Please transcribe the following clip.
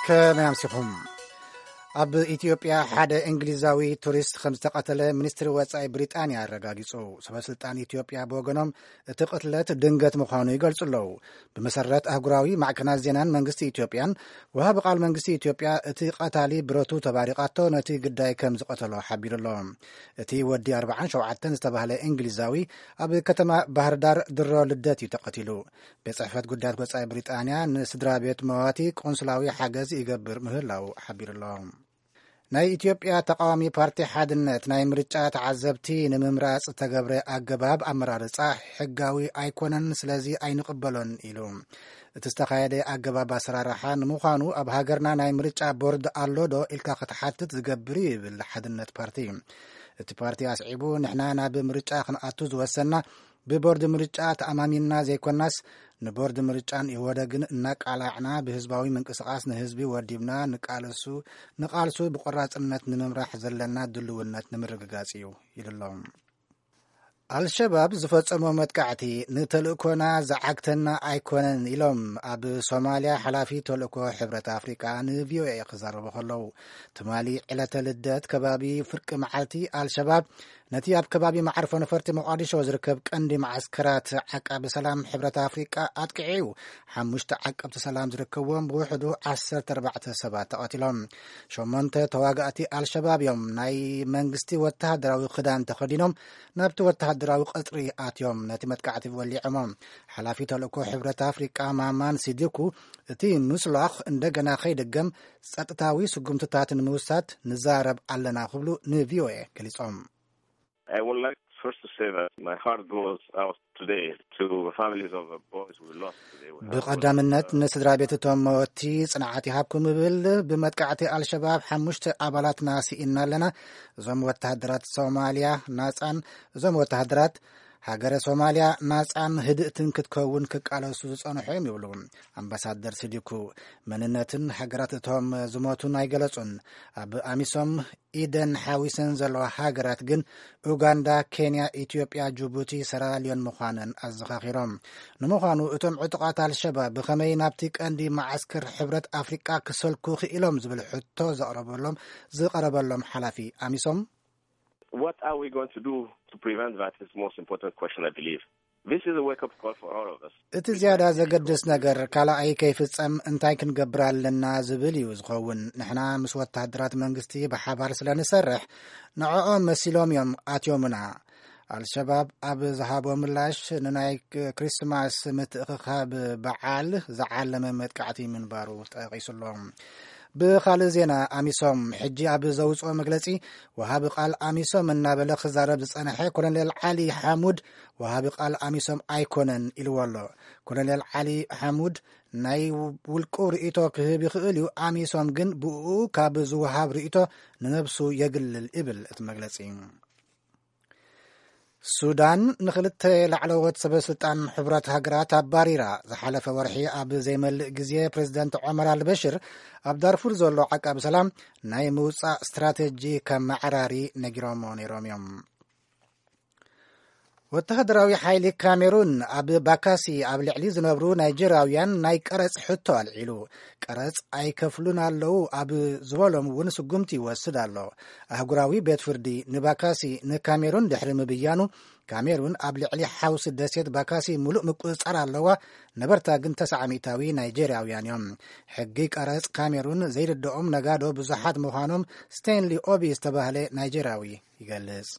ከመይ ኣምሲኹም? ኣብ ኢትዮጵያ ሓደ እንግሊዛዊ ቱሪስት ከም ዝተቐተለ ሚኒስትሪ ወጻኢ ብሪጣንያ ኣረጋጊጹ። ሰበስልጣን ኢትዮጵያ ብወገኖም እቲ ቅትለት ድንገት ምዃኑ ይገልጹ ኣለዉ። ብመሰረት ኣህጉራዊ ማዕከናት ዜናን መንግስቲ ኢትዮጵያን፣ ወሃቢ ቃል መንግስቲ ኢትዮጵያ እቲ ቀታሊ ብረቱ ተባሪቓቶ ነቲ ግዳይ ከም ዝቐተሎ ሓቢሩ ኣሎ። እቲ ወዲ ኣርብዓን ሸውዓተን ዝተባህለ እንግሊዛዊ ኣብ ከተማ ባህርዳር ድሮ ልደት እዩ ተቐቲሉ። ቤት ጽሕፈት ጉዳያት ወጻኢ ብሪጣንያ ንስድራ ቤት መዋቲ ቆንስላዊ ሓገዝ ይገብር ምህላው ሓቢሩ ኣሎ። ናይ ኢትዮጵያ ተቃዋሚ ፓርቲ ሓድነት ናይ ምርጫ ተዓዘብቲ ንምምራጽ ዝተገብረ ኣገባብ ኣመራርጻ ሕጋዊ ኣይኮነን፣ ስለዚ ኣይንቕበሎን ኢሉ። እቲ ዝተኻየደ ኣገባብ ኣሰራርሓ ንምዃኑ ኣብ ሃገርና ናይ ምርጫ ቦርድ ኣሎ ዶ ኢልካ ክትሓትት ዝገብር እዩ ይብል ሓድነት ፓርቲ። እቲ ፓርቲ ኣስዒቡ፣ ንሕና ናብ ምርጫ ክንኣቱ ዝወሰና ብቦርድ ምርጫ ተኣማሚንና ዘይኮናስ፣ ንቦርድ ምርጫን ኢህወደግን እናቃላዕና ብህዝባዊ ምንቅስቃስ ንህዝቢ ወዲብና ንቃልሱ ንቃልሱ ብቆራጽነት ንምምራሕ ዘለና ድልውነት ንምርግጋጽ እዩ ኢሉ ኣሎ። ኣልሸባብ ዝፈጸሞ መጥቃዕቲ ንተልእኮና ዝዓግተና ኣይኮነን ኢሎም ኣብ ሶማልያ ሓላፊ ተልእኮ ሕብረት ኣፍሪቃ ንቪኦኤ ክዛረቡ ከለዉ፣ ትማሊ ዕለተ ልደት ከባቢ ፍርቂ መዓልቲ ኣልሸባብ ነቲ ኣብ ከባቢ መዓርፎ ነፈርቲ ሞቃዲሾ ዝርከብ ቀንዲ መዓስከራት ዓቃቢ ሰላም ሕብረት ኣፍሪቃ ኣጥቂዑ እዩ። ሓሙሽተ ዓቀብቲ ሰላም ዝርከብዎም ብውሕዱ ዓሰርተ ኣርባዕተ ሰባት ተቐቲሎም። ሸሞንተ ተዋጋእቲ ኣልሸባብ እዮም ናይ መንግስቲ ወተሃደራዊ ክዳን ተኸዲኖም ናብቲ ወተሃደራዊ ቀጽሪ ኣትዮም ነቲ መጥቃዕቲ ወሊዖሞ። ሓላፊ ተልእኮ ሕብረት ኣፍሪቃ ማማን ሲዲኩ፣ እቲ ምስሏኽ እንደገና ከይድገም ጸጥታዊ ስጉምትታት ንምውሳድ ንዛረብ ኣለና ክብሉ ንቪኦኤ ገሊጾም። I would like first to say that my heart goes out today to the families of the boys we lost today. We have ብቐዳምነት ንስድራ ቤት እቶም መወቲ ጽንዓት ይሃብኩም እብል። ብመጥቃዕቲ ኣልሸባብ ሓሙሽተ ኣባላትና ስኢና ኣለና። እዞም ወተሃደራት ሶማልያ ናጻን እዞም ወተሃደራት ሃገረ ሶማልያ ናጻን ህድእትን ክትከውን ክቃለሱ ዝጸንሑ እዮም ይብሉ ኣምባሳደር ሲዲኩ። መንነትን ሃገራት እቶም ዝሞቱን ኣይገለጹን። ኣብ ኣሚሶም ኢደን ሓዊሰን ዘለዋ ሃገራት ግን ኡጋንዳ፣ ኬንያ፣ ኢትዮጵያ፣ ጅቡቲ፣ ሰራልዮን ምዃነን ኣዘኻኺሮም። ንምዃኑ እቶም ዕጡቓት ኣልሸባብ ብኸመይ ናብቲ ቀንዲ መዓስከር ሕብረት ኣፍሪቃ ክሰልኩ ክኢሎም ዝብል ሕቶ ዘቕረበሎም ዝቐረበሎም ሓላፊ ኣሚሶም፣ What are we going to do to prevent that? Is the most important question, I believe. This is a wake-up call for all of us. እቲ ዝያዳ ዘገድስ ነገር ካልኣይ ከይፍጸም እንታይ ክንገብር ኣለና ዝብል እዩ ዝኸውን። ንሕና ምስ ወተሃደራት መንግስቲ ብሓባር ስለ ንሰርሕ፣ ንዕኦም መሲሎም እዮም ኣትዮምና። ኣልሸባብ ኣብ ዝሃቦ ምላሽ ንናይ ክሪስማስ ምትእኽኻብ በዓል ዝዓለመ መጥቃዕቲ ምንባሩ ጠቒሱ ኣሎ። ብኻልእ ዜና፣ ኣሚሶም ሕጂ ኣብ ዘውፅኦ መግለፂ፣ ወሃቢ ቃል ኣሚሶም እናበለ ክዛረብ ዝፀንሐ ኮሎኔል ዓሊ ሓሙድ ወሃቢ ቃል ኣሚሶም ኣይኮነን ኢልዎ ኣሎ። ኮሎኔል ዓሊ ሓሙድ ናይ ውልቁ ርእይቶ ክህብ ይኽእል እዩ፣ ኣሚሶም ግን ብኡ ካብ ዝወሃብ ርእይቶ ንነብሱ የግልል ይብል እቲ መግለፂ። ሱዳን ንኽልተ ላዕለዎት ሰበ ስልጣን ሕቡራት ሃገራት ኣባሪራ። ዝሓለፈ ወርሒ ኣብ ዘይመልእ ግዜ ፕሬዝደንት ዑመር ኣልበሽር ኣብ ዳርፉር ዘሎ ዓቃቢ ሰላም ናይ ምውፃእ ስትራቴጂ ከም መዓራሪ ነጊሮሞ ነይሮም እዮም። ወተሃደራዊ ሓይሊ ካሜሩን ኣብ ባካሲ ኣብ ልዕሊ ዝነብሩ ናይጀርያውያን ናይ ቀረጽ ሕቶ ኣልዒሉ። ቀረጽ ኣይከፍሉን ኣለዉ ኣብ ዝበሎም እውን ስጉምቲ ይወስድ ኣሎ። ኣህጉራዊ ቤት ፍርዲ ንባካሲ ንካሜሩን ድሕሪ ምብያኑ፣ ካሜሩን ኣብ ልዕሊ ሓውሲ ደሴት ባካሲ ምሉእ ምቁጽጻር ኣለዋ። ነበርታ ግን ተስዓ ሚእታዊ ናይጀርያውያን እዮም። ሕጊ ቀረጽ ካሜሩን ዘይርድኦም ነጋዶ ብዙሓት ምዃኖም ስቴንሊ ኦቢ ዝተባህለ ናይጀርያዊ ይገልጽ።